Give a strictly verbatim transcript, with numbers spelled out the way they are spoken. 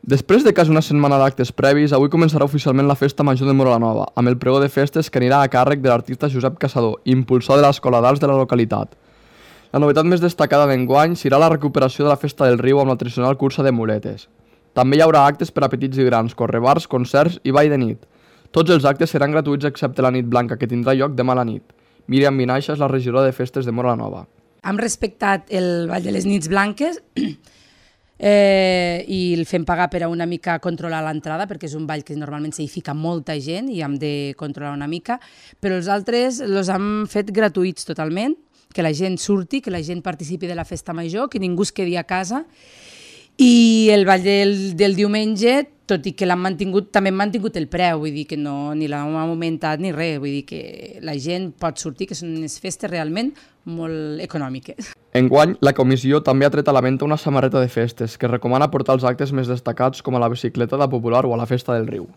Després de quasi una setmana d'actes previs, avui començarà oficialment la Festa Major de Móra la Nova, amb el pregó de festes que anirà a càrrec de l'artista Josep Caçador, impulsor de l'Escola d'Arts de la localitat. La novetat més destacada d'enguany serà la recuperació de la Festa del Riu amb la tradicional cursa de muletes. També hi haurà actes per a petits i grans, correbars, concerts i ball de nit. Tots els actes seran gratuïts excepte la nit blanca, que tindrà lloc demà a la nit. Míriam Vinaixa és la regidora de festes de Móra la Nova. Hem respectat el ball de les nits blanques eh, i el fem pagar per a una mica controlar l'entrada, perquè és un ball que normalment s'hi fica molta gent i hem de controlar una mica, però els altres els hem fet gratuïts totalment, que la gent surti, que la gent participi de la festa major, que ningú es quedi a casa. I el ball del, del diumenge, tot i que l'han mantingut, també hem mantingut el preu, vull dir que no, ni l'hem augmentat ni res, vull dir que la gent pot sortir, que són unes festes realment molt econòmiques. Enguany, la comissió també ha tret a la venda una samarreta de festes que recomana portar els actes més destacats com a la bicicletada popular o a la Festa del Riu.